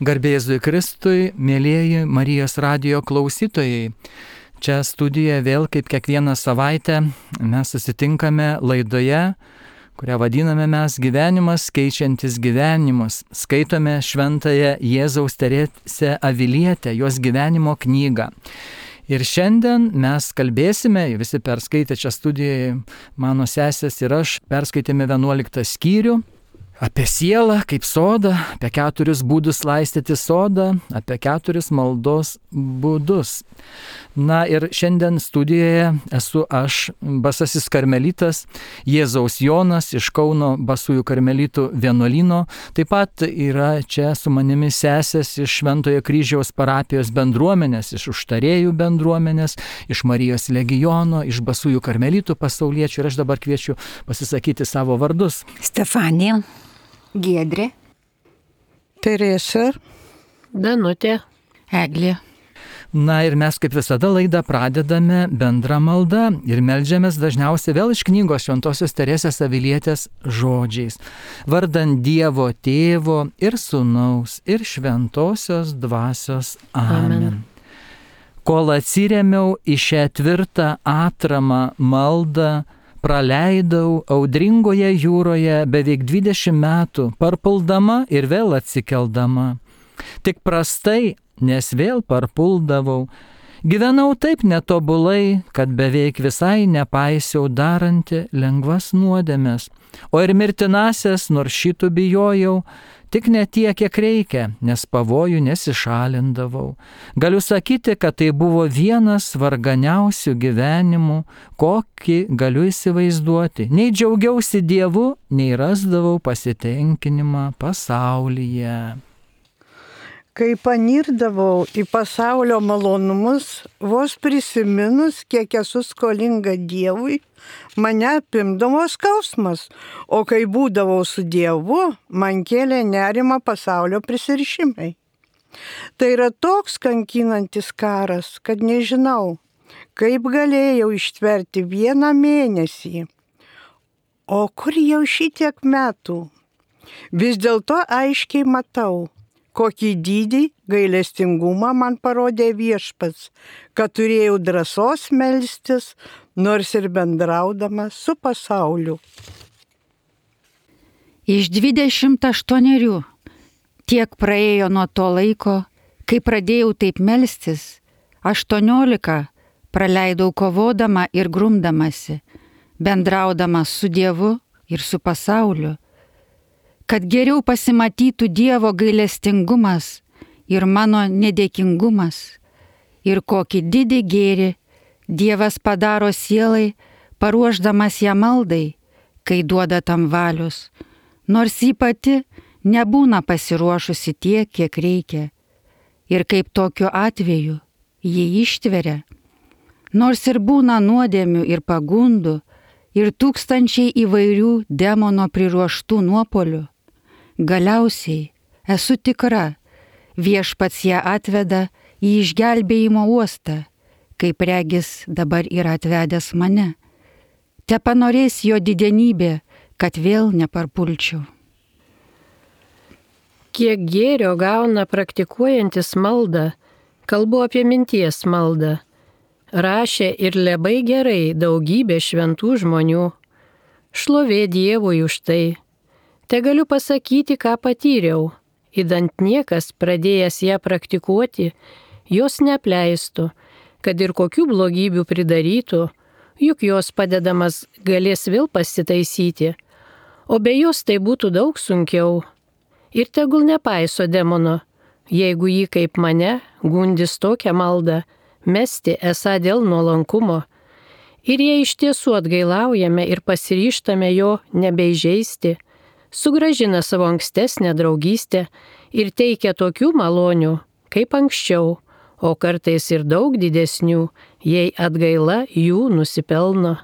Garbė Jėzui Kristui, mėlyjeji Marijos radijo klausytojai. Čia studijoje vėl kaip kiekvieną savaitę mes susitinkame laidoje, kurią vadiname mes Gyvenimas keičiantis gyvenimus. Skaitome šventąją Jėzaus Teresę Avilietę, jos gyvenimo knygą. Ir šiandien mes kalbėsime, visi perskaitė čia studijoje, mano sesės ir aš, perskaitėme 11 skyrių. Apie sielą kaip sodą, apie 4 būdus laistyti sodą, apie 4 maldos būdus. Na ir šiandien studijoje esu aš, basasis karmelitas, Jėzaus Jonas iš Kauno basųjų karmelitų vienuolyno. Taip pat yra čia su manimi sesės iš Šventojo Kryžiaus parapijos bendruomenės, iš užtarėjų bendruomenės, iš Marijos legiono, iš basųjų karmelitų pasauliečių. Ir aš dabar kviečiu pasisakyti savo vardus. Stefanija, Giedrė, Teresa, Danutė, Eglė. Na ir mes kaip visada laidą pradedame bendrą maldą ir meldžiamės dažniausiai vėl iš knygos Šventosios Teresės Avilietės žodžiais. Vardant Dievo Tėvo ir Sūnaus ir Šventosios Dvasios. Amen. Kol atsirėmiau į šią tvirtą atramą maldą, praleidau audringoje jūroje beveik 20 metų, parpuldama ir vėl atsikeldama. Tik prastai, nes vėl parpuldavau. Gyvenau taip netobulai, kad beveik visai nepaisiau daranti lengvas nuodėmes, o ir mirtinasias nors šitų bijojau, tik ne tiek, kiek reikia, nes pavojų nesišalindavau. Galiu sakyti, kad tai buvo vienas varganiausių gyvenimų, kokį galiu įsivaizduoti. Nei džiaugiausi Dievu, nei rasdavau pasitenkinimą pasaulyje. kai panirdavau į pasaulio malonumus, vos prisiminus, kiek esu skolinga Dievui, mane apimdavo skausmas, o kai būdavau su Dievu, man kėlė nerimą pasaulio prisirišimai. Tai yra toks kankinantis karas, kad nežinau, kaip galėjau ištverti 1 mėnesį. O kur jau šitiek metų? Vis dėlto aiškiai matau, kokį didį gailestingumą man parodė Viešpats, kad turėjau drąsos melstis, nors ir bendraudama su pasauliu. Iš 28 tiek praėjo nuo to laiko, kai pradėjau taip melstis, 18 praleidau kovodama ir grumdamasi, bendraudama su Dievu ir su pasauliu, kad geriau pasimatytų Dievo gailestingumas ir mano nedėkingumas, ir kokį didį gėrį Dievas padaro sielai, paruošdamas ją maldai, kai duoda tam valios, nors ji pati nebūna pasiruošusi tiek, kiek reikia, ir kaip tokiu atveju ji ištveria, nors ir būna nuodėmių ir pagundų, ir tūkstančiai įvairių demono priruoštų nuopolių. Galiausiai esu tikra, Viešpats ją atveda į išgelbėjimo uostą, kaip regis dabar yra atvedęs mane. Tepanorės jo didenybė, kad vėl neparpulčiau. Kiek gėrio gauna praktikuojantis maldą, kalbu apie minties maldą, rašė ir labai gerai daugybė šventų žmonių. Šlovė Dievui už tai. Te galiu pasakyti, ką patyriau, idant niekas pradėjęs ją praktikuoti, jos neapleistų, kad ir kokių blogybių pridarytų, juk jos padedamas galės vėl pasitaisyti, o be jos tai būtų daug sunkiau. Ir tegul nepaiso demono, jeigu jį kaip mane gundys tokią maldą, mesti esą dėl nuolankumo. Ir jei iš tiesų atgailaujame ir pasiryžtame jo nebeižeisti, sugrąžina savo ankstesnę draugystę ir teikia tokių malonių, kaip anksčiau, o kartais ir daug didesnių, jei atgaila jų nusipelno.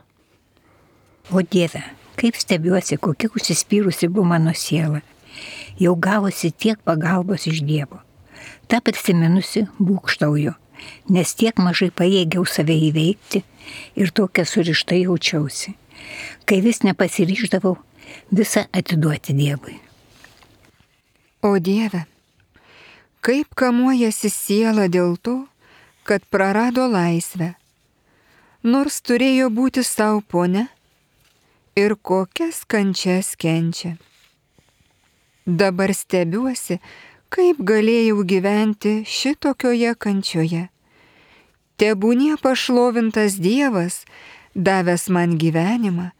O Dieve, kaip stebiuosi, kokia užsispyrusi buvo mano siela. Jau gavosi tiek pagalbos iš Dievo. Ta prisiminusi būkštauju, nes tiek mažai pajėgiau save įveikti ir tokia surišta jaučiausi. Kai vis nepasiryždavau, visą atiduoti Dievui. O Dieve, kaip kamuojasi siela dėl to, kad prarado laisvę, nors turėjo būti savo ponia ir kokias kančias kenčia. Dabar stebiuosi, kaip galėjau gyventi šitokioje kančioje. Tebūnie pašlovintas Dievas, davęs man gyvenimą,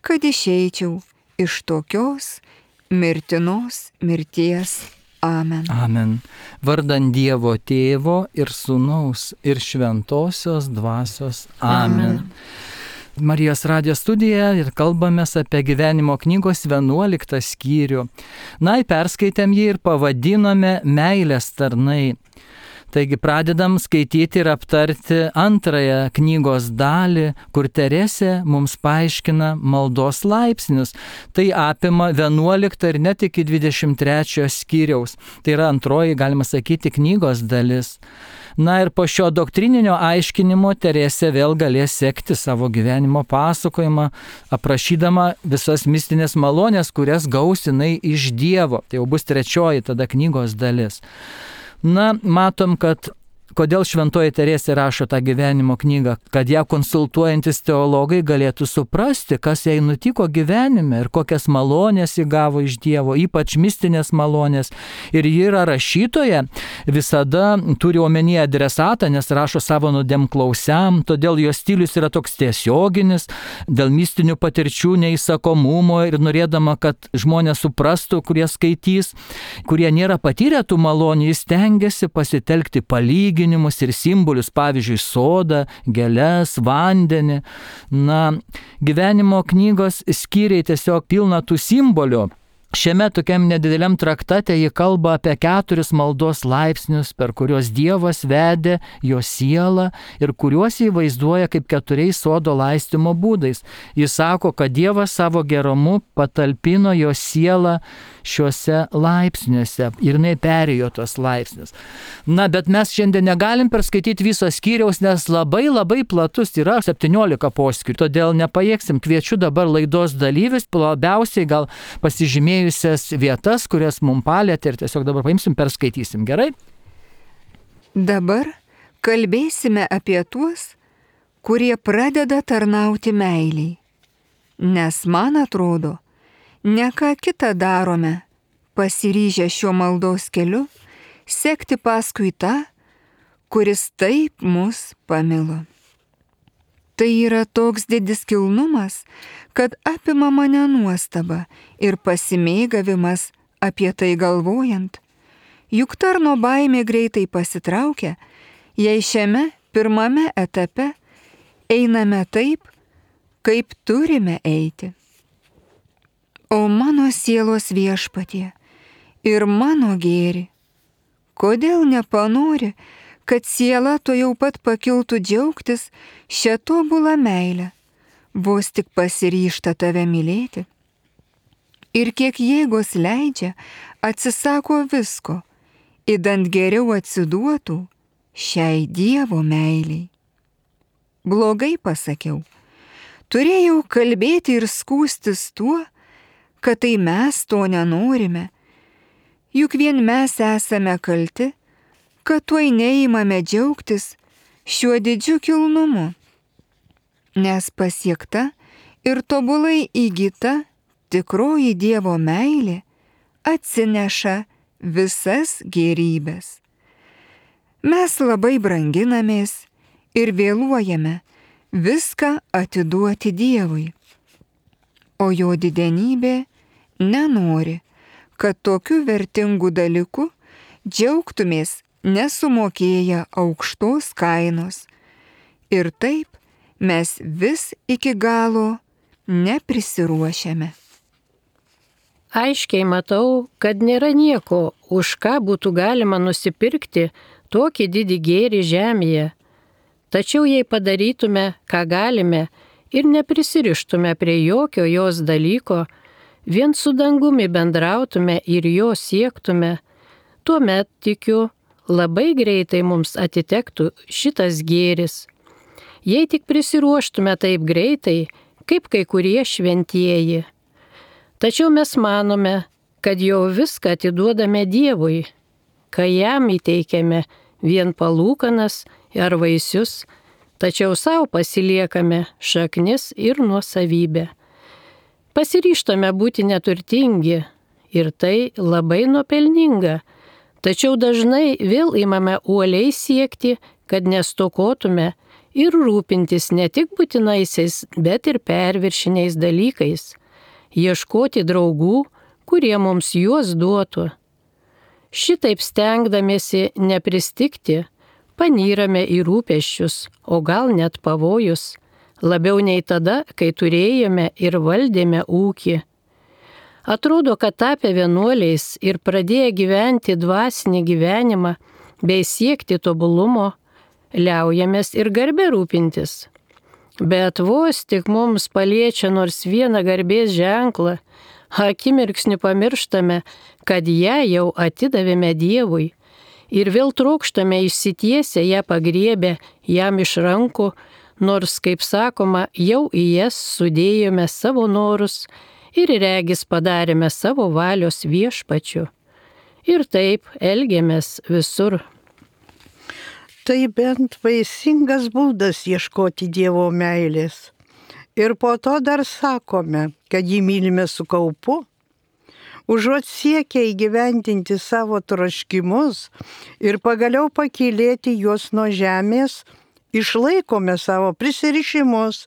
kad išeičiau iš tokios mirtinos mirties. Amen. Amen. Vardan Dievo Tėvo ir Sūnaus ir Šventosios Dvasios. Amen. Marijos radijo studija ir kalbamės apie gyvenimo knygos 11 skyrių. Na, perskaitėm jį ir pavadinome Meilės tarnai. Taigi pradedam skaityti ir aptarti antrąją knygos dalį, kur Teresė mums paaiškina maldos laipsnius. Tai apima 11 ir net iki 23 skyriaus. Tai yra antroji, galima sakyti, knygos dalis. Na ir po šio doktrininio aiškinimo Teresė vėl galės sekti savo gyvenimo pasakojimą, aprašydama visas mistinės malonės, kurias gaus jinai iš Dievo. Tai jau bus trečioji tada knygos dalis. Na, matom, kad kodėl šventoji Teresė rašo tą gyvenimo knygą, kad ją konsultuojantis teologai galėtų suprasti, kas jai nutiko gyvenime ir kokias malonės ji gavo iš Dievo, ypač mistinės malonės. Ir ji yra rašytoja, visada turi omenyje adresatą, nes rašo savo nuodėmklausiam, todėl jos stilius yra toks tiesioginis, dėl mistinių patirčių neįsakomumo ir norėdama, kad žmonės suprastų, kurie skaitys, kurie nėra patyrę tų malonių, jis stengiasi pasitelkti palyginimus ir simbolius, pavyzdžiui, sodą, gėles, vandenį. Na, gyvenimo knygos skyriai tiesiog pilna tų simbolių. Šiame tokiam nedideliam traktate ji kalba apie 4 maldos laipsnius, per kuriuos Dievas vedė jo sielą ir kuriuos jį vaizduoja kaip 4 sodo laistymo būdais. Jis sako, kad Dievas savo gerumu patalpino jo sielą šiuose laipsniuose ir jinai perėjo tos laipsnius. Na, bet mes šiandien negalim perskaityti viso skyriaus, nes labai platus yra 17 poskyrių, todėl nepajėgsim. Kviečiu dabar laidos dalyvius, labiausiai gal pasižymėjusias vietas, kurias mums palėtė ir tiesiog dabar paimsim, perskaitysim. Gerai? Dabar kalbėsime apie tuos, kurie pradeda tarnauti meiliai. Nes man atrodo, ne ką kitą darome, pasiryžę šiuo maldos keliu, sekti paskui tą, kuris taip mus pamilo. Tai yra toks didis kilnumas, kad apima mane nuostaba ir pasimėgavimas apie tai galvojant. Juk tarno baimė greitai pasitraukia, jei šiame pirmame etape einame taip, kaip turime eiti. O mano sielos viešpatie ir mano gėri, kodėl nepanori, kad siela to jau pat pakiltų džiaugtis šią tobulą meilę, vos tik pasiryžta tave mylėti? Ir kiek jėgos leidžia, atsisako visko, idant geriau atsiduotų šiai Dievo meiliai. Blogai pasakiau, turėjau kalbėti ir skųstis tuo, kad tai mes to nenorime, juk vien mes esame kalti, kad tuoj neįmame džiaugtis šiuo didžiu kilnumu, nes pasiekta ir tobulai įgyta tikroji Dievo meilė atsineša visas gėrybes. Mes labai branginamės ir vėluojame viską atiduoti Dievui, o jo didenybė nenori, kad tokiu vertingu dalyku džiaugtumės nesumokėję aukštos kainos. Ir taip mes vis iki galo neprisiruošiame. Aiškiai matau, kad nėra nieko, už ką būtų galima nusipirkti tokį didį gėrį žemėje. Tačiau jei padarytume, ką galime ir neprisirištume prie jokio jos dalyko, vien su dangumi bendrautume ir jo siektume, tuomet, tikiu, labai greitai mums atitektų šitas gėris. Jei tik prisiruoštume taip greitai, kaip kai kurie šventieji. Tačiau mes manome, kad jau viską atiduodame Dievui, kai jam įteikiame vien palūkanas ar vaisius, tačiau savo pasiliekame šaknis ir nuosavybę. Pasiryžtame būti neturtingi ir tai labai nuopelninga, tačiau dažnai vėl imame uoliai siekti, kad nestokotume ir rūpintis ne tik būtinaisiais, bet ir perviršiniais dalykais, ieškoti draugų, kurie mums juos duotų. Šitaip stengdamiesi nepristikti, panyrame į rūpesčius, o gal net pavojus, labiau nei tada, kai turėjome ir valdėme ūkį. Atrodo, kad tapę vienuoliais ir pradėję gyventi dvasinį gyvenimą bei siekti tobulumo, liaujamės ir garbę rūpintis. Bet vos tik mums paliečia nors vieną garbės ženklą, akimirksniu pamirštame, kad ją jau atidavėme Dievui ir vėl trokštame išsitiesę ją pagriebę jam iš rankų, nors, kaip sakoma, jau į jas sudėjome savo norus ir regis padarėme savo valios viešpačiu. Ir taip elgiamės visur. Tai bent vaisingas būdas ieškoti Dievo meilės. Ir po to dar sakome, kad jį mylime su kaupu. Užuot siekę įgyvendinti savo troškimus ir pagaliau pakylėti juos nuo žemės, išlaikome savo prisirišimus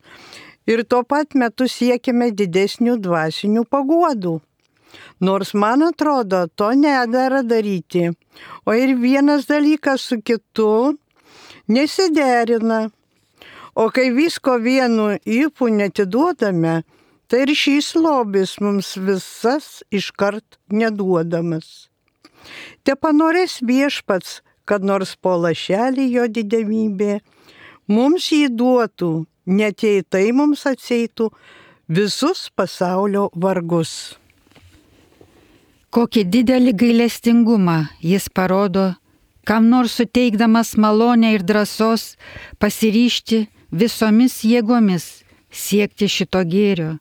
ir tuo pat metu siekime didesnių dvasinių paguodų. Nors man atrodo, to nedera daryti, o ir vienas dalykas su kitu nesiderina. O kai visko vienu ypu netiduodame, tai ir šis lobis mums visas iškart neduodamas. Te panorės viešpats, kad nors po lašelį jo didemybė mums jį duotų, net jei tai mums atseitų visus pasaulio vargus. Kokį didelį gailestingumą jis parodo, kam nors suteikdamas malonę ir drąsos pasiryžti visomis jėgomis siekti šito gėrio,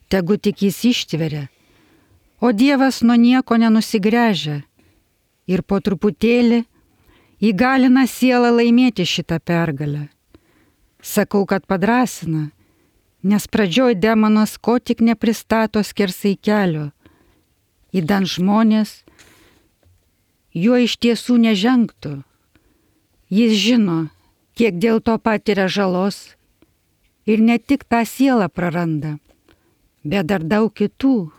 tegu tik jis ištveria, o Dievas nuo nieko nenusigręžia ir po truputėlį įgalina sielą laimėti šitą pergalę. Sakau, kad padrasina, nes pradžioj demonas ko tik nepristato skersai kelio, įdant žmonės juo iš tiesų nežengtų. Jis žino, kiek dėl to patiria žalos ir ne tik tą sielą praranda, bet dar daug kitų.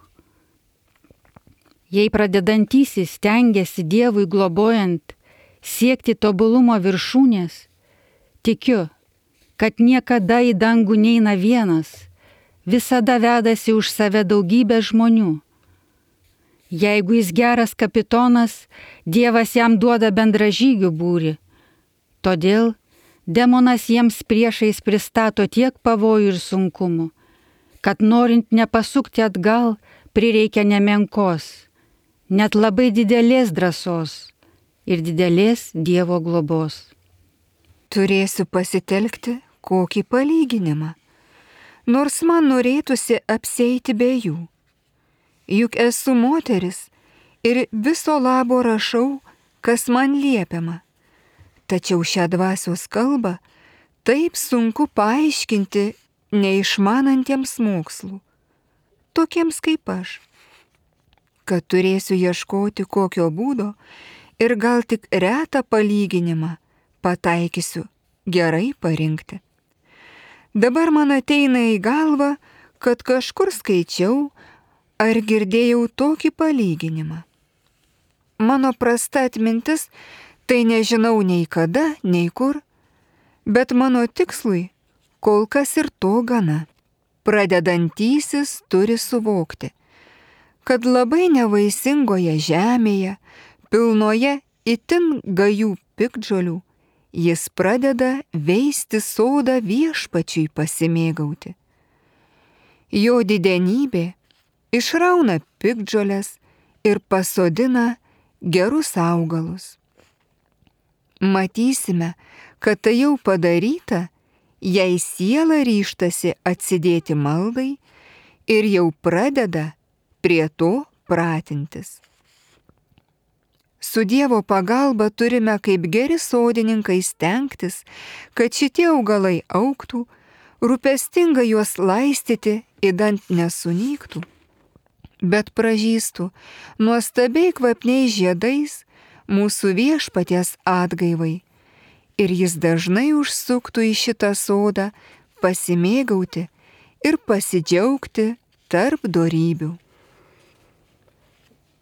Jei pradedantysis stengiasi Dievui globojant siekti tobulumo viršūnės, tikiu, kad niekada į dangų neina vienas, visada vedasi už save daugybę žmonių. Jeigu jis geras kapitonas, Dievas jam duoda bendražygių būrį. Todėl demonas jiems priešais pristato tiek pavojų ir sunkumų, kad norint nepasukti atgal, prireikia nemenkos, net labai didelės drąsos ir didelės Dievo globos. Turėsiu pasitelkti kokį palyginimą, nors man norėtųsi apsieiti be jų. Juk esu moteris ir viso labo rašau, kas man liepiama. Tačiau šią dvasios kalbą taip sunku paaiškinti neišmanantiems mokslų, tokiems kaip aš, kad turėsiu ieškoti kokio būdo ir gal tik retą palyginimą pataikysiu gerai parinkti. Dabar man ateina į galvą, kad kažkur skaičiau ar girdėjau tokį palyginimą. Mano prasta atmintis, tai nežinau nei kada, nei kur, bet mano tikslui kol kas ir to gana. Pradedantysis turi suvokti, kad labai nevaisingoje žemėje, pilnoje itin gajų piktžolių, jis pradeda veisti sodą viešpačiui pasimėgauti. Jo didenybė išrauna piktžoles ir pasodina gerus augalus. Matysime, kad tai jau padaryta, jei siela ryžtasi atsidėti maldai ir jau pradeda prie to pratintis. su Dievo pagalba turime kaip geri sodininkai stengtis, kad šitie augalai augtų, rūpestingai juos laistyti, idant nesunyktų, bet pražystų nuostabiai kvapniais žiedais mūsų Viešpaties atgaivai. Ir jis dažnai užsuktų į šitą sodą pasimėgauti ir pasidžiaugti tarp dorybių.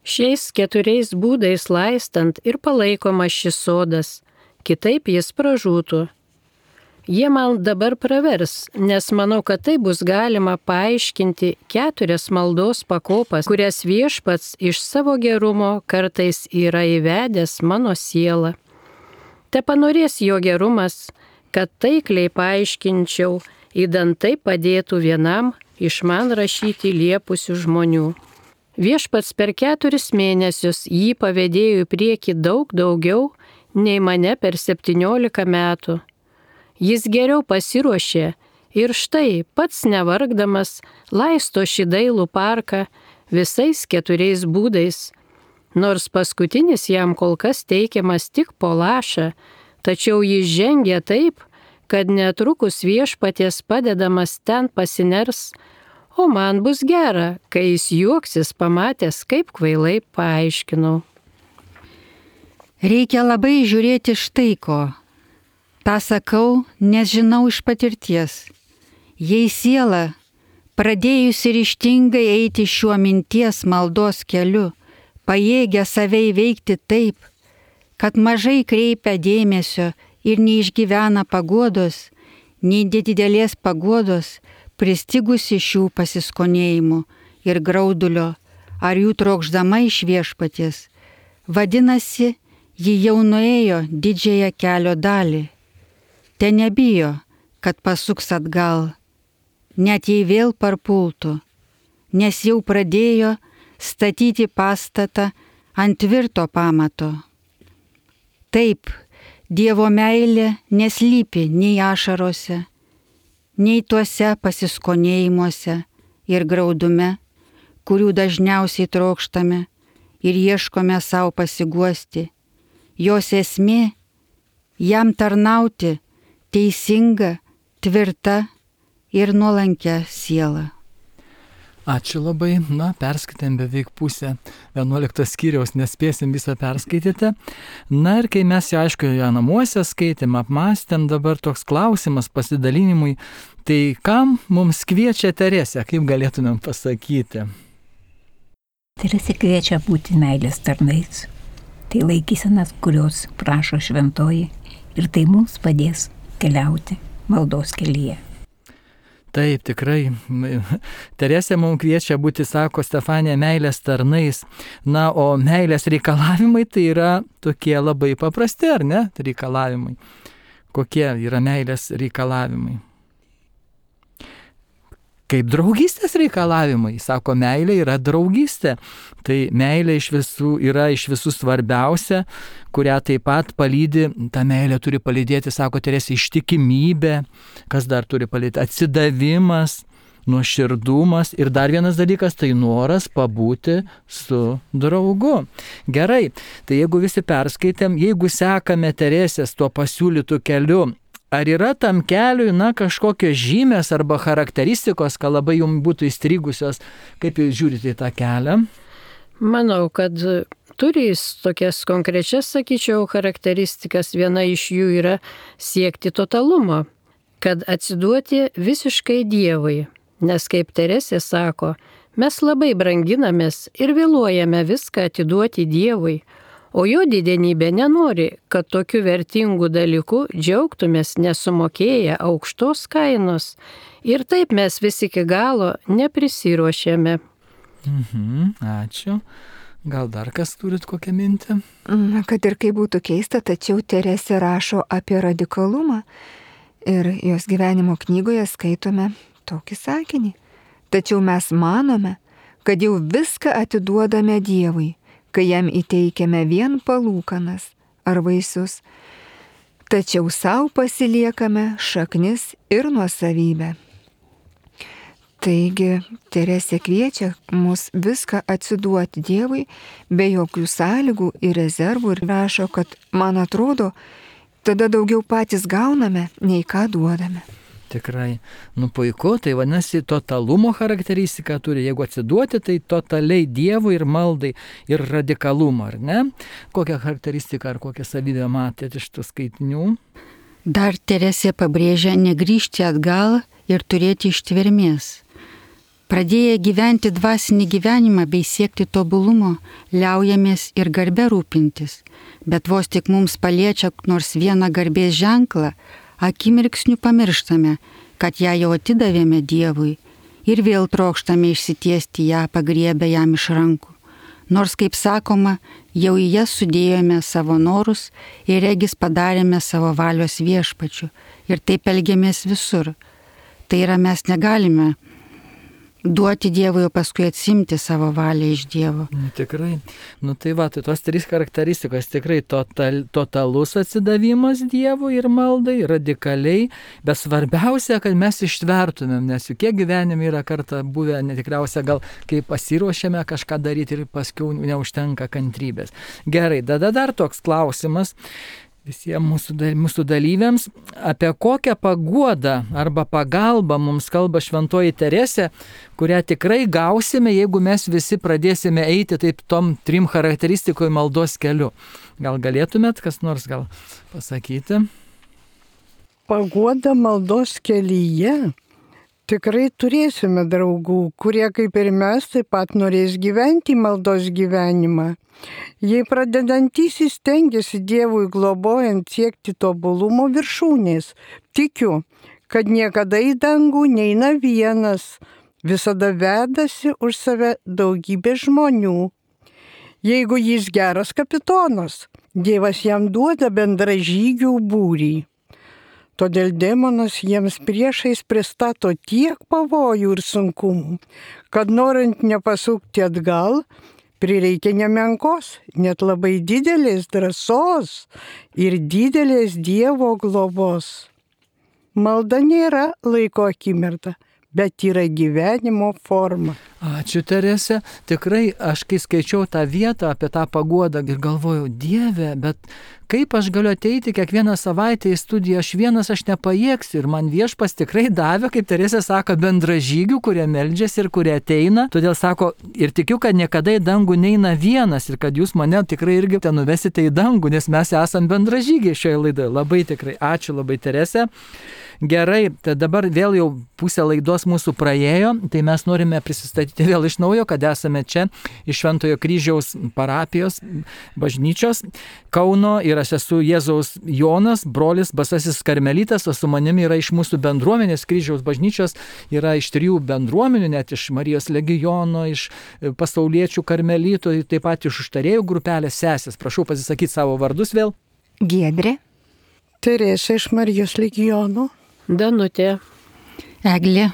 Šiais 4 būdais laistant ir palaikomas šis sodas, kitaip jis pražūtų. Jie man dabar pravers, nes manau, kad tai bus galima paaiškinti 4 maldos pakopas, kurias Viešpats iš savo gerumo kartais yra įvedęs mano sielą. Te panorės jo gerumas, kad taikliai paaiškinčiau, idant tai padėtų vienam iš man rašyti liepusių žmonių. Viešpats per 4 mėnesius jį pavedėjo į priekį daug daugiau nei mane per 17 metų. Jis geriau pasiruošė ir štai pats nevargdamas laisto šį dailų parką visais 4 būdais. Nors paskutinis jam kol kas teikiamas tik po lašą, tačiau jis žengia taip, kad netrukus Viešpaties padedamas ten pasiners, o man bus gera, kai jis juoksis pamatęs, kaip kvailai paaiškinau. Reikia labai žiūrėti štai ko. Ta sakau, nes žinau iš patirties. Jei siela, pradėjusi ryžtingai eiti šiuo minties maldos keliu, pajėgia save įveikti taip, kad mažai kreipia dėmesio ir neišgyvena paguodos, nei didelės paguodos, pristigusi šių pasiskonėjimų ir graudulio, ar jų trokšdama iš Viešpaties. Vadinasi, ji jau nuėjo didžiąją kelio dalį. Te nebijo, kad pasuks atgal, net jei vėl parpultų, nes jau pradėjo statyti pastatą ant tvirto pamato. Taip, Dievo meilė neslypi nei ašarose, nei tuose pasiskonėjimuose ir graudume, kurių dažniausiai trokštame ir ieškome savo pasiguosti. Jos esmė – jam tarnauti teisinga, tvirta ir nuolankia siela. Ačiū labai. Perskaitėm beveik pusę 11 skyriaus, nespėsim visą perskaityti. Ir kai mes jau aišku ją namuose skaitėm, apmąstėm, dabar toks klausimas pasidalinimui, tai kam mums kviečia Teresė, kaip galėtumėm pasakyti? Teresė kviečia būti meilės tarnais. Tai laikysenas, kurios prašo šventoji, ir tai mums padės keliauti maldos kelyje. Taip, tikrai. Teresė mums kviečia būti, sako Stefanija, meilės tarnais. O meilės reikalavimai tai yra tokie labai paprasti, ar ne? Reikalavimai. Kokie yra meilės reikalavimai? Kaip draugystės reikalavimai. Sako, meilė yra draugystė. Tai meilė yra iš visų svarbiausia, kurią taip pat palydi, ta meilė turi palydėti, sako Teresė, ištikimybė, kas dar turi palydėti, atsidavimas, nuoširdumas ir dar vienas dalykas, tai noras pabūti su draugu. Gerai, tai jeigu visi perskaitėm, jeigu sekame Teresės tuo pasiūlytų keliu, ar yra tam keliui, kažkokios žymės arba charakteristikos, ką labai jums būtų įstrigusios, kaip jūs žiūrite į tą kelią? Manau, kad turi jis tokias konkrečias, sakyčiau, charakteristikas. Viena iš jų yra siekti totalumo, kad atsiduoti visiškai Dievui. Nes kaip Teresė sako, mes labai branginamės ir vėluojame viską atiduoti Dievui. O jo didenybė nenori, kad tokiu vertingu dalyku džiaugtumės nesumokėję aukštos kainos. Ir taip mes visi iki galo neprisiruošėme. Ačiū. Gal dar kas turit kokią mintį? Kad ir kaip būtų keista, tačiau Teresė rašo apie radikalumą. Ir jos gyvenimo knygoje skaitome tokį sakinį. Tačiau mes manome, kad jau viską atiduodame Dievui, kai jam įteikiame vien palūkanas ar vaisius, tačiau savo pasiliekame šaknis ir nuosavybę. Taigi Teresė kviečia mus viską atsiduoti Dievui be jokių sąlygų ir rezervų ir rašo, kad man atrodo, tada daugiau patys gauname, nei ką duodame. Tikrai, puiku, tai vadinasi, totalumo charakteristika turi, jeigu atsiduoti, tai totaliai Dievui ir maldai ir radikalumą, ar ne? Kokią charakteristiką ar kokią savybę matėte iš tų skaitinių? Dar Teresė pabrėžia negrįžti atgal ir turėti ištvermės. Pradėję gyventi dvasinį gyvenimą bei siekti tobulumo, liaujamės ir garbę rūpintis, bet vos tik mums paliečia nors vieną garbės ženklą, akimirksniu pamirštame, kad ją jau atidavėme Dievui ir vėl trokštame išsitiesti ją, pagriebę jam iš rankų. Nors, kaip sakoma, jau į jas sudėjome savo norus ir regis padarėme savo valios viešpačiu ir taip elgiamės visur. Tai yra, mes negalime duoti Dievui, o paskui atsimti savo valią iš Dievo. Tikrai. Tai tos 3 charakteristikos tikrai totalus atsidavimas Dievui ir maldai, radikaliai, bet svarbiausia, kad mes ištvertumėm, nes juk kiek gyvenime yra kartą buvę, netikriausia gal, kai pasiruošėme kažką daryti ir paskui neužtenka kantrybės. Gerai, tada dar toks klausimas visiems mūsų dalyviams, apie kokią paguodą arba pagalbą mums kalba šventoji Teresė, kurią tikrai gausime, jeigu mes visi pradėsime eiti taip tom 3 charakteristikoje maldos keliu. Gal galėtumėt kas nors gal pasakyti? Paguoda maldos kelyje. Tikrai turėsime draugų, kurie kaip ir mes taip pat norės gyventi maldos gyvenimą. Jei pradedantysis stengiasi Dievui globojant siekti tobulumo viršūnės, tikiu, kad niekada į dangų neina vienas, visada vedasi už save daugybė žmonių. Jeigu jis geras kapitonas, Dievas jam duoda bendražygių būrį. Todėl demonas jiems priešais pristato tiek pavojų ir sunkumų, kad norint nepasukti atgal, prireikia nemenkos, net labai didelės drąsos ir didelės Dievo globos. Malda nėra laiko akimirka, bet yra gyvenimo forma. Ačiū, Teresė. Tikrai aš kai skaičiau tą vietą apie tą paguodą ir galvojau, Dieve, bet kaip aš galiu ateiti kiekvieną savaitę į studiją, aš nepajėgsiu. Ir man Viešpas tikrai davė, kaip Teresė sako, bendražygių, kurie meldžiasi ir kurie ateina. Todėl sako, ir tikiu, kad niekada į dangų neina vienas ir kad jūs mane tikrai irgi ten nuvesite į dangų, nes mes esam bendražygiai šioje laidoje. Labai tikrai. Ačiū labai, Teresė. Gerai, tai dabar vėl jau pusė laidos mūsų praėjo, tai mes norime prisistatyti vėl iš naujo, kad esame čia iš Šventojo Kryžiaus parapijos bažnyčios Kauno ir aš esu Jėzaus Jonas, brolis Basasis Karmelitas, o su manimi yra iš mūsų bendruomenės Kryžiaus bažnyčios, yra iš 3 bendruomenių, net iš Marijos Legiono, iš pasauliečių karmelitų, taip pat iš užtarėjų grupelės sesės. Prašau pasisakyti savo vardus vėl. Giedrė. Teresė iš Marijos Legiono. Danutė. Eglė.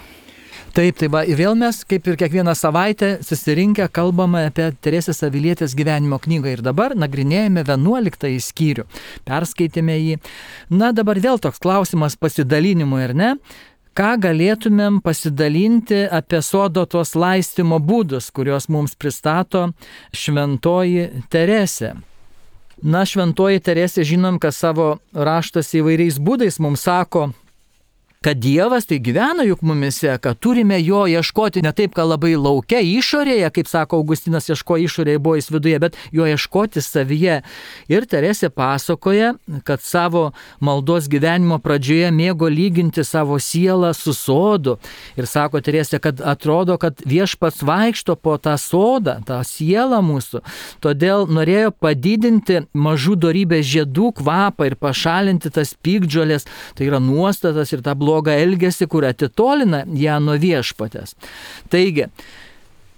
Taip, ir vėl mes, kaip ir kiekvieną savaitę, susirinkę kalbame apie Teresės Avilietės gyvenimo knygą ir dabar nagrinėjame 11 skyrių. Perskaitėme jį. Dabar vėl toks klausimas pasidalinimui, ar ne? Ką galėtumėm pasidalinti apie sodo tos laistymo būdus, kuriuos mums pristato šventoji Teresė? Šventoji Teresė žinom, kad savo raštuose įvairiais būdais mums sako, kad Dievas tai gyvena juk mumise, kad turime jo ieškoti ne taip, kad labai laukia išorėje, kaip sako Augustinas, ieško išorėje, buvo jis viduje, bet jo ieškoti savyje. Ir Teresė pasakoja, kad savo maldos gyvenimo pradžioje mėgo lyginti savo sielą su sodu. Ir sako Teresė, kad atrodo, kad Viešpats vaikšto po tą sodą, tą sielą mūsų. Todėl norėjo padidinti mažų dorybės žiedų kvapą ir pašalinti tas piktžolės, tai yra nuostatas ir tą blogą elgesį, kur atitolina ją nuo Viešpatės. Taigi,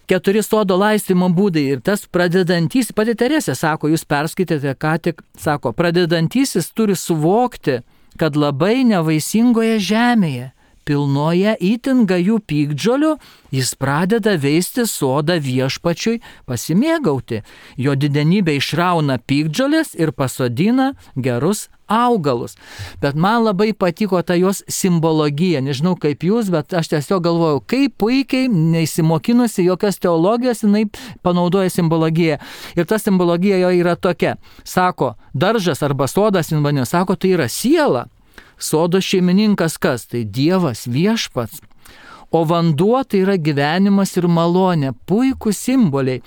4 sodo laistymo būdai ir tas pradedantysis, pati Teresė sako, jūs perskaitėte ką tik, sako, pradedantysis turi suvokti, kad labai nevaisingoje žemėje, pilnoje itin gajų piktžolių, jis pradeda veisti sodą Viešpačiui pasimėgauti. Jo didenybė išrauna piktžolės ir pasodina gerus augalus. Bet man labai patiko ta jos simbologija. Nežinau kaip jūs, bet aš tiesiog galvojau, kaip puikiai, neįsimokinusi jokios teologijos, jinai panaudoja simbologiją. Ir ta simbologija jo yra tokia. Sako, daržas arba sodas, sako, tai yra siela. Sodo šeimininkas kas? Tai Dievas, viešpats. O vanduo tai yra gyvenimas ir malonė. Puikūs simboliai.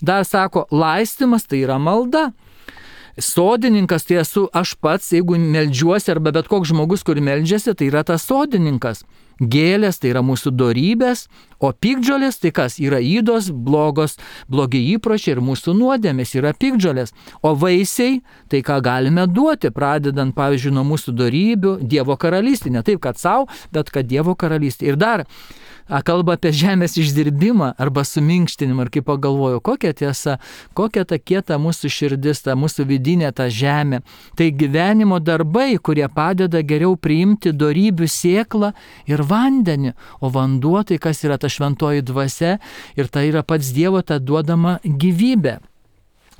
Dar sako, laistymas tai yra malda. Sodininkas tai esu aš pats, jeigu meldžiuosi, arba bet koks žmogus, kur meldžiasi, tai yra tas sodininkas. Gėlės tai yra mūsų dorybės, o piktžolės tai kas? Yra ydos, blogi įpročiai ir mūsų nuodėmės yra piktžolės. O vaisiai tai ką galime duoti, pradedant pavyzdžiui nuo mūsų dorybių, Dievo karalystė, ne taip, kad savo, bet kad Dievo karalystė. Ir dar kalba apie žemės išdirbimą arba suminkštinimą. Ir kaip pagalvoju, kokia tiesa, kokia ta kieta mūsų širdis, ta mūsų vidinė ta žemė. Tai gyvenimo darbai, kurie padeda geriau priimti dorybių sėklą ir vandenį. O vanduo tai kas yra ta šventoji dvasia ir tai yra pats Dievo ta duodama gyvybė.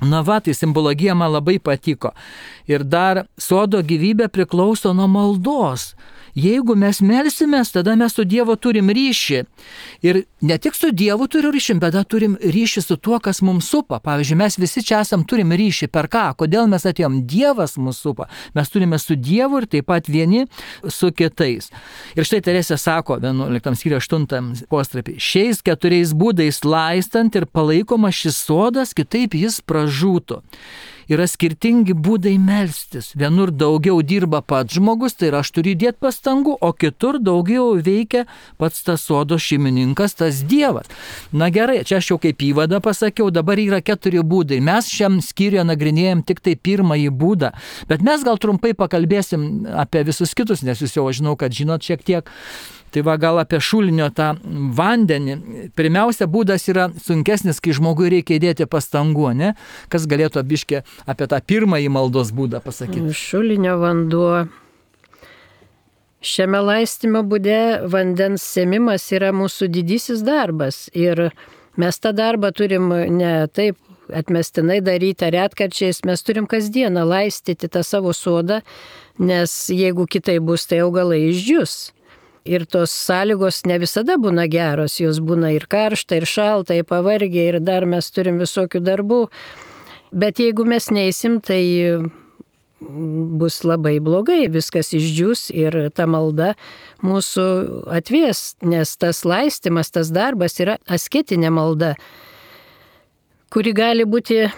Na va, tai simbologija man labai patiko. Ir dar sodo gyvybė priklauso nuo maldos. Jeigu mes melsimės, tada mes su Dievu turim ryšį. Ir ne tik su Dievu turim ryšį, bet turim ryšį su tuo, kas mums supa. Pavyzdžiui, mes visi čia turim ryšį. Per ką? Kodėl mes atėjom? Dievas mus supa. Mes turime su Dievu ir taip pat vieni su kitais. Ir štai Teresė sako, 11 skyriuje 8 postrapį, šiais 4 būdais laistant ir palaikomas šis sodas, kitaip jis pražūtų. Yra skirtingi būdai melstis. Vienur daugiau dirba pats žmogus, tai yra aš turiu įdėti pastangų, o kitur daugiau veikia pats tas sodo šeimininkas, tas Dievas. Na gerai, čia aš jau kaip įvadą pasakiau, dabar yra 4 būdai. Mes šiam skyriuje nagrinėjom tik tai pirmąjį būdą, bet mes gal trumpai pakalbėsim apie visus kitus, nes jūs jau žinau, kad žinot šiek tiek. Tai va gal apie šulinio tą vandenį. Pirmiausia, būdas yra sunkesnis, kai žmogui reikia įdėti pastangų, ne? Kas galėtų biškį apie tą pirmąjį maldos būdą pasakyti? Šulinio vanduo. Šiame laistymo būde vandens sėmimas yra mūsų didysis darbas. Ir mes tą darbą turim ne taip atmestinai daryti ar retkarčiais, mes turim kasdieną laistyti tą savo sodą, nes jeigu kitai bus, tai augalai išdžius. Ir tos sąlygos ne visada būna geros, jos būna ir karšta, ir šalta, ir pavargę, ir dar mes turim visokių darbų. Bet jeigu mes neįsim, tai bus labai blogai, viskas išdžius ir ta malda mūsų atvies, nes tas laistymas, tas darbas yra asketinė malda, kuri gali būti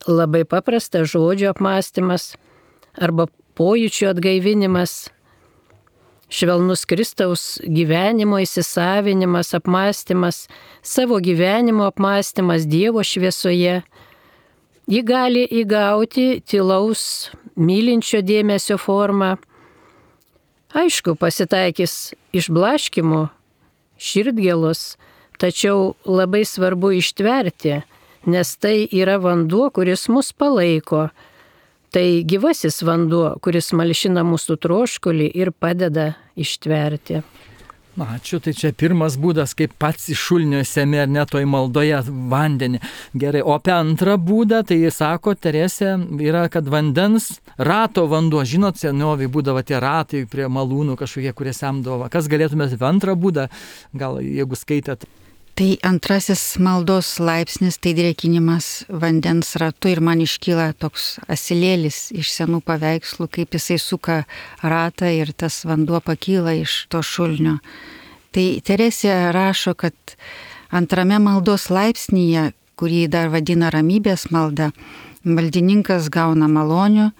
labai paprasta, žodžio apmąstymas arba pojūčių atgaivinimas, švelnus Kristaus gyvenimo įsisavinimas, apmąstymas, savo gyvenimo apmąstymas Dievo šviesoje. Ji gali įgauti tylaus, mylinčio dėmesio formą. Aišku, pasitaikys išblaškimų, širdgėlos, tačiau labai svarbu ištverti, nes tai yra vanduo, kuris mus palaiko. Tai gyvasis vanduo, kuris malšina mūsų troškulį ir padeda ištverti. Ačiū, tai čia pirmas būdas, kaip pats iš šulinio semi ar net toj maldoje vandenį. Gerai, o apie antrą būdą, tai sako Teresė, yra, kad vandens rato vanduo. Žinot, senoviai būdavo tie ratai prie malūnų kažkokie, kurie semdavo. Kas galėtumėte apie antrą būdą, gal jeigu skaitėt? Tai antrasis maldos laipsnis, tai drėkinimas vandens ratu ir man iškyla toks asilėlis iš senų paveikslų, kaip jisai suka ratą ir tas vanduo pakyla iš to šulinio. Tai Teresė rašo, kad antrame maldos laipsnyje, kurį dar vadina ramybės malda, maldininkas gauna malonių,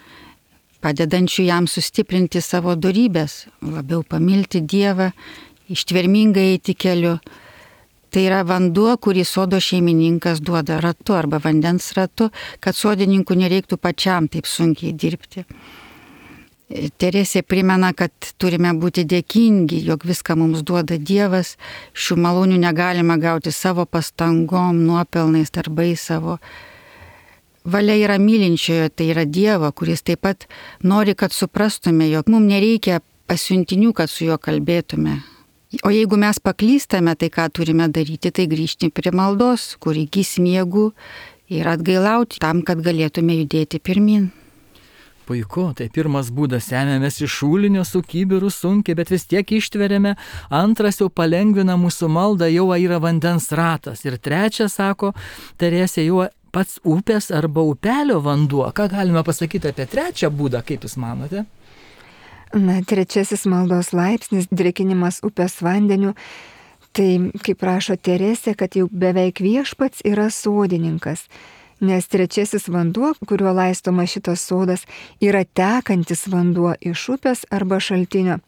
padedančių jam sustiprinti savo dorybės, labiau pamilti Dievą, ištvermingai eiti keliu. Tai yra vanduo, kurį sodo šeimininkas duoda ratu arba vandens ratu, kad sodininkų nereiktų pačiam taip sunkiai dirbti. Teresė primena, kad turime būti dėkingi, jog viską mums duoda Dievas, šių malonių negalime gauti savo pastangom, nuopelnais, darbais savo. Valia yra mylinčiojo, tai yra Dievo, kuris taip pat nori, kad suprastume, jog mums nereikia pasiuntinių, kad su juo kalbėtume. O jeigu mes paklystame, tai ką turime daryti, tai grįžti prie maldos, kur įgysim jėgų ir atgailauti tam, kad galėtume judėti pirmin. Puiku, tai pirmas būdas, semiamės iš šulinio su kibiru sunkiai, bet vis tiek ištveriame. Antras jau palengvina mūsų maldą, jau yra vandens ratas. Ir trečias, sako Teresė, jau pats upės arba upelio vanduo. Ką galime pasakyti apie trečią būdą, kaip jūs manote? Na, trečiasis maldos laipsnis, drėkinimas upės vandeniu. Tai, kaip rašo Teresė, kad jau beveik viešpats yra sodininkas. Nes trečiasis vanduo, kuriuo laistoma šitas sodas, yra tekantis vanduo iš upės arba šaltinio.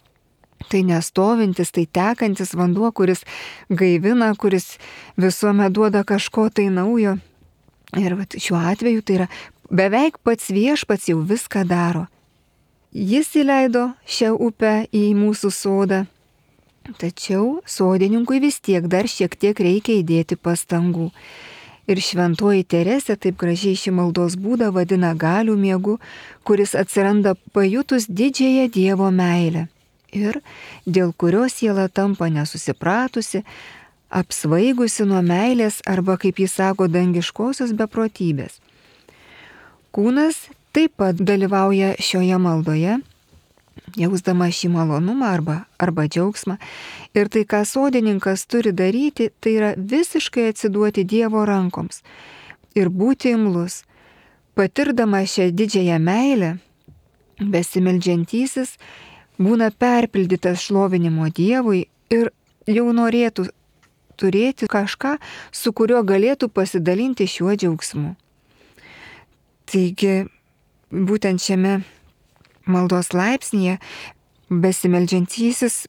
Tai nestovintis, tai tekantis vanduo, kuris gaivina, kuris visuomet duoda kažko tai naujo. Ir šiuo atveju tai yra beveik pats viešpats jau viską daro. Jis įleido šią upę į mūsų sodą, tačiau sodininkui vis tiek dar šiek tiek reikia įdėti pastangų. Ir šventoji Teresė taip gražiai šį maldos būdą vadina galių miegu, kuris atsiranda pajutus didžiąją Dievo meilę ir dėl kurios siela tampa nesusipratusi, apsvaigusi nuo meilės arba, kaip jis sako, dangiškosios beprotybės. Kūnas taip pat dalyvauja šioje maldoje, jausdama šį malonumą arba džiaugsmą. Ir tai, ką sodininkas turi daryti, tai yra visiškai atsiduoti Dievo rankoms ir būti imlus. Patirdama šią didžiąją meilę, besimeldžiantysis būna perpildytas šlovinimo Dievui ir jau norėtų turėti kažką, su kuriuo galėtų pasidalinti šiuo džiaugsmu. Taigi, būtent šiame maldos laipsnyje besimeldžiantysis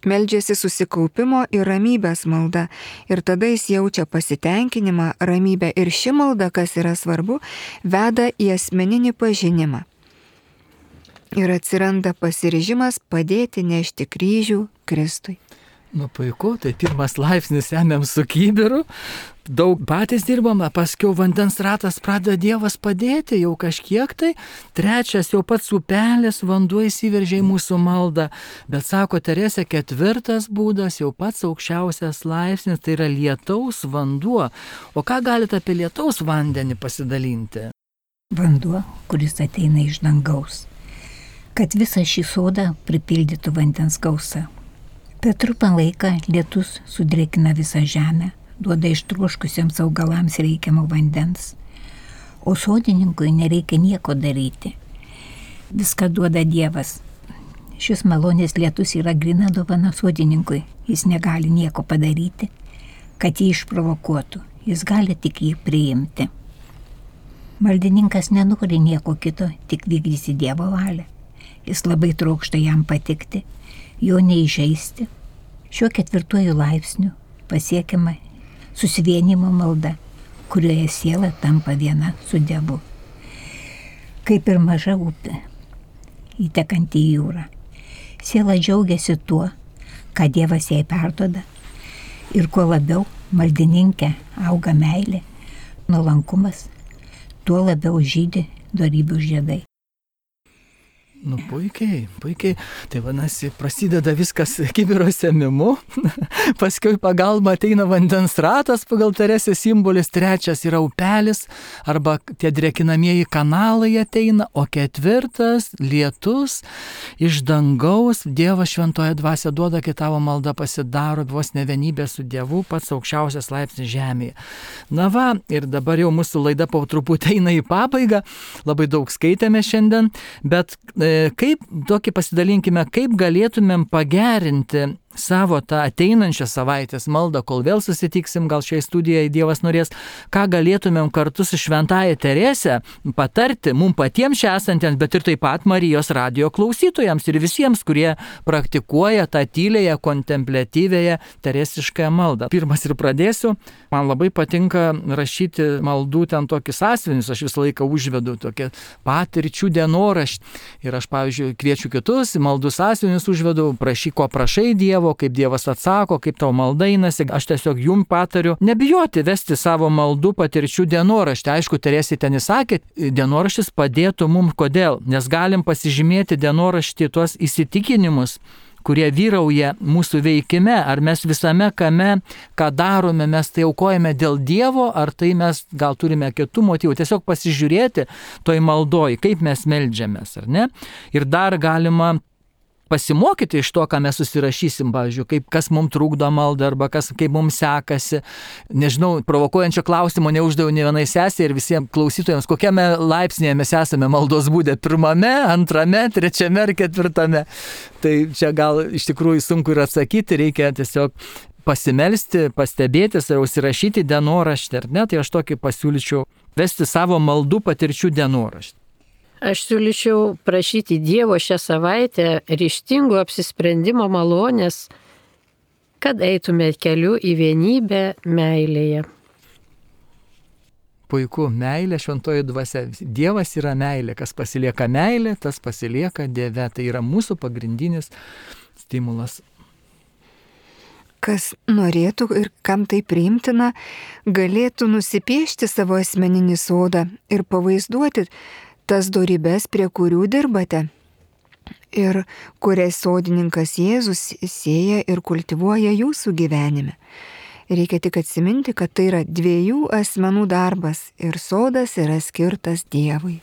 meldžiasi susikaupimo ir ramybės malda. Ir tada jis jaučia pasitenkinimą, ramybę. Ir ši malda, kas yra svarbu, veda į asmeninį pažinimą. Ir atsiranda pasiryžimas padėti nešti kryžių Kristui. Nu puiku, tai pirmas laipsnis ėmėm su kibiru, daug patys dirbame, paskiau vandens ratas pradeda Dievas padėti, jau kažkiek tai. Trečias jau pats upelis, vanduo įsiveržė į mūsų maldą. Bet sako Teresė, ketvirtas būdas, jau pats aukščiausias laipsnis, tai yra lietaus vanduo. O ką galite apie lietaus vandenį pasidalinti? Vanduo, kuris ateina iš dangaus, kad visą šį sodą pripildytų vandens gausa. Per trumpą laiką lietus sudrėkina visą žemę, duoda ištroškusiems augalams reikiamo vandens, o sodininkui nereikia nieko daryti. Viską duoda Dievas. Šis malonės lietus yra grina dovana sodininkui, jis negali nieko padaryti, kad jį išprovokuotų, jis gali tik jį priimti. Maldininkas nenori nieko kito, tik vykdyti Dievo valią. Jis labai trokšta jam patikti, jo neįžeisti. Šiuo ketvirtuoju laipsniu pasiekiama susivienimo malda, kurioje siela tampa viena su Dievu. Kaip ir maža upė, įtekanti į jūrą. Siela džiaugiasi tuo, ką Dievas jai perduoda, ir kuo labiau maldininkė auga meilė, nuolankumas, tuo labiau žydi dorybių žiedai. Nu puikiai, puikiai. Tai vadinasi, prasideda viskas kibiro sėmimu, paskui pagalba ateina vandens ratas pagal Teresės simbolis, trečias yra upelis arba tie drėkinamieji kanalai ateina, o ketvirtas lietus iš dangaus, Dievas šventoje dvasia duoda, kai tavo malda pasidaro vos ne vienybė su Dievu, pats aukščiausias laipsnis žemėje. Na va, ir dabar jau mūsų laida po truputį eina į pabaigą, labai daug skaitėme šiandien, bet kaip tokį pasidalinkime, kaip galėtumėm pagerinti savo tą ateinančią savaitės maldą, kol vėl susitiksim, gal šiai studijai Dievas norės, ką galėtumėm kartu su šventąja Terese patarti mums patiems čia esantiems, bet ir taip pat Marijos radijo klausytojams ir visiems, kurie praktikuoja tą tylėją, kontempliatyvėją teresiškąją maldą. Pirmas ir pradėsiu. Man labai patinka rašyti maldų ten tokius sąsiuvinius, aš visą laiką užvedu tokią patirčių dienoraštį. Ir aš, pavyzdžiui, kviečiu kitus, maldų sąsiuvinius užvedu, prašyk, ko prašai Dievo, kaip Dievas atsako, kaip tavo malda einasi. Aš tiesiog jums patariu nebijoti vesti savo maldų patirčių dienoraštį. Aišku, Teresė ten įsakė, dienoraštis padėtų mums. Kodėl? Nes galim pasižymėti dienoraštį tuos įsitikinimus, kurie vyrauja mūsų veikime, ar mes visame kame, ką darome, mes tai aukojame dėl Dievo, ar tai mes gal turime kitų motyvų, tiesiog pasižiūrėti toj maldoj, kaip mes meldžiamės, ar ne? Ir dar galima pasimokyti iš to, ką mes susirašysim, pavyzdžiui, kas mums trukdo maldą arba kaip mums sekasi. Nežinau, provokuojančio klausimo neuždaviau ne vienai sesei ir visiems klausytojams, kokiame laipsnėje mes esame maldos būde, 1., 2., 3. ar 4. Tai čia gal iš tikrųjų sunku ir atsakyti, reikia tiesiog pasimelsti, pastebėti ir užsirašyti dienoraštį, ar ne? Tai aš tokį pasiūlyčiau vesti savo maldų patirčių dienoraštį. Aš siūlyčiau prašyti Dievo šią savaitę ryžtingo apsisprendimo malonės, kad eitume keliu į vienybę meilėje. Puiku, meilė, šventoji dvasia. Dievas yra meilė. Kas pasilieka meilė, tas pasilieka Dieve. Tai yra mūsų pagrindinis stimulas. Kas norėtų ir kam tai priimtina, galėtų nusipiešti savo asmeninį sodą ir pavaizduoti tas dorybes, prie kurių dirbate ir kurias sodininkas Jėzus sėja ir kultivuoja jūsų gyvenime. Reikia tik atsiminti, kad tai yra 2 asmenų darbas ir sodas yra skirtas Dievui.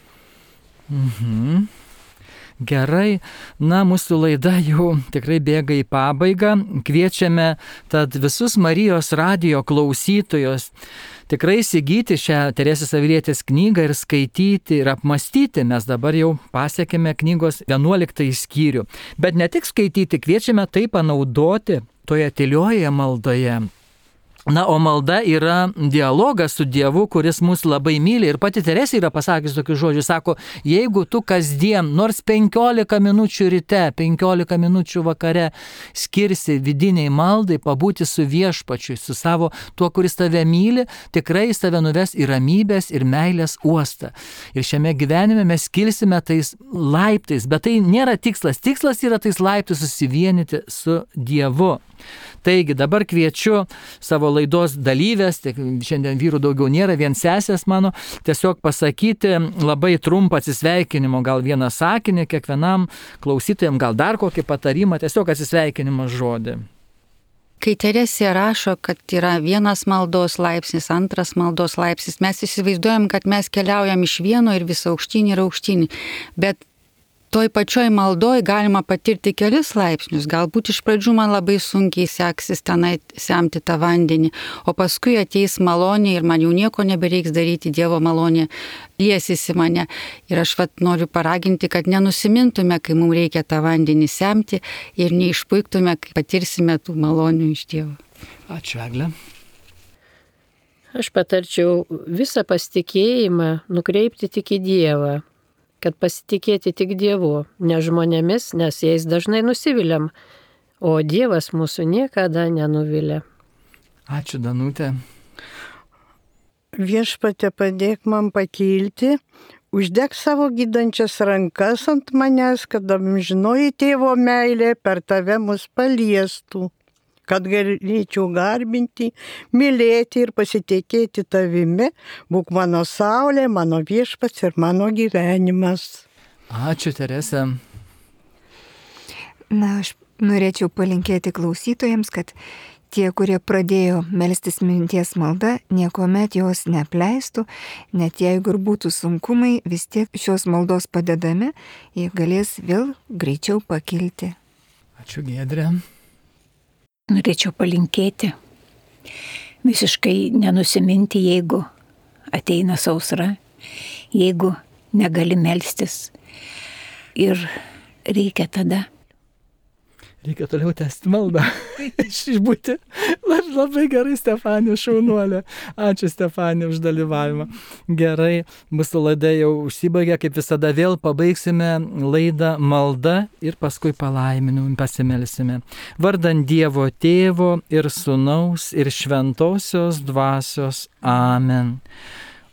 Gerai, mūsų laida jau tikrai bėga į pabaigą. Kviečiame tad visus Marijos radijo klausytojus tikrai įsigyti šią Teresės Avilietės knygą ir skaityti ir apmastyti. Mes dabar jau pasiekėme knygos 11 skyrių. Bet ne tik skaityti, kviečiame tai panaudoti toje tylioje maldoje. O malda yra dialogas su Dievu, kuris mus labai myli. Ir pati Teresė yra pasakęs tokius žodžius, sako, jeigu tu kasdien nors 15 minučių ryte, 15 minučių vakare skirsi vidiniai maldai, pabūti su viešpačiu, su savo tuo, kuris tave myli, tikrai jis tave nuves į ramybės ir meilės uostą. Ir šiame gyvenime mes kilsime tais laiptais, bet tai nėra tikslas. Tikslas yra tais laiptais susivienyti su Dievu. Taigi dabar kviečiu savo laidos dalyvės, šiandien vyrų daugiau nėra, vien sesės mano, tiesiog pasakyti labai trumpą atsisveikinimo, gal vieną sakinį kiekvienam klausytojam, gal dar kokį patarimą, tiesiog atsisveikinimo žodį. Kai Teresė rašo, kad yra 1 maldos laipsnis, 2 maldos laipsnis, mes įsivaizduojam, kad mes keliaujam iš vieno ir vis aukštyn ir aukštyn, bet toj pačioj maldoj galima patirti kelis laipsnius. Galbūt iš pradžių man labai sunkiai seksis tenai semti tą vandenį, o paskui ateis malonė ir man jau nieko nebereiks daryti, Dievo malonė liesis į mane. Ir aš noriu paraginti, kad nenusimintume, kai mums reikia tą vandenį semti ir neišpuiktume, kai patirsime tų malonių iš Dievo. Ačiū, Egle. Aš patarčiau visą pasitikėjimą nukreipti tik į Dievą, kad pasitikėti tik Dievu, ne žmonėmis, nes jais dažnai nusiviliam, o Dievas mūsų niekada nenuvilia. Ačiū, Danutė. Viešpatie, padėk man pakilti, uždek savo gydančias rankas ant manęs, kad amžinoji tėvo meilė per tave mus paliestų, kad galėčiau garbinti, mylėti ir pasitikėti tavimi, būk mano saulė, mano viešpats ir mano gyvenimas. Ačiū, Teresė. Aš norėčiau palinkėti klausytojams, kad tie, kurie pradėjo melstis minties malda, niekuomet jos neapleistų, net jeigu ir būtų sunkumai, vis tiek šios maldos padedami, jie galės vėl greičiau pakilti. Ačiū, Giedrė. Norėčiau palinkėti visiškai nenusiminti, jeigu ateina sausra, jeigu negali melstis. Ir reikia tada. Reikia toliau tęsti maldą. Išbūti. Labai gerai, Stefanija, šaunuolė. Ačiū, Stefanija, už dalyvavimą. Gerai, mūsų laida jau užsibaigė, kaip visada vėl pabaigsime laidą malda ir paskui palaiminimu pasimelsime. Vardant Dievo Tėvo ir Sūnaus ir Šventosios Dvasios. Amen.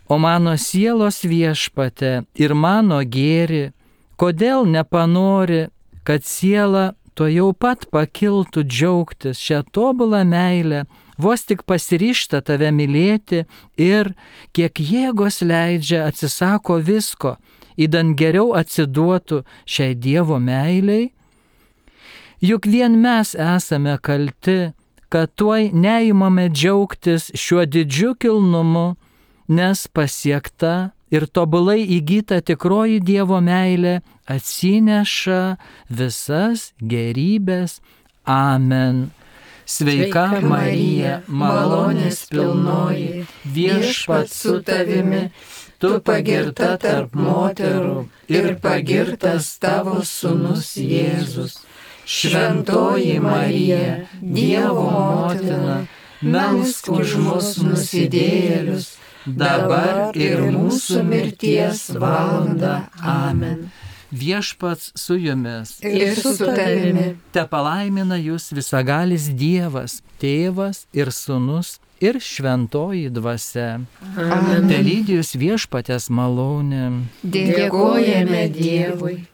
O mano sielos Viešpatie ir mano gėri, kodėl nepanori, kad siela to jau pat pakiltų džiaugtis šią tobulą meilę, vos tik pasiryžta tave mylėti ir, kiek jėgos leidžia, atsisako visko, idant geriau atsiduotų šiai Dievo meiliai? Juk vien mes esame kalti, kad tuoj neįmame džiaugtis šiuo didžiu kilnumu, nes pasiekta ir tobulai įgyta tikroji Dievo meilė atsineša visas gerybės. Amen. Sveika Marija, malonės pilnoji, Viešpats su tavimi, tu pagirta tarp moterų ir pagirtas tavo sūnus Jėzus. Šventoji Marija, Dievo motina, melsk už mus nusidėjėlius, dabar ir mūsų mirties valandą. Amen. Viešpats su jumis ir su tavimi. Tepalaimina jūs visagalis Dievas, Tėvas ir Sūnus ir Šventoji Dvasia. Amen. Telydi jūs Viešpaties malonė. Dėkojame Dievui.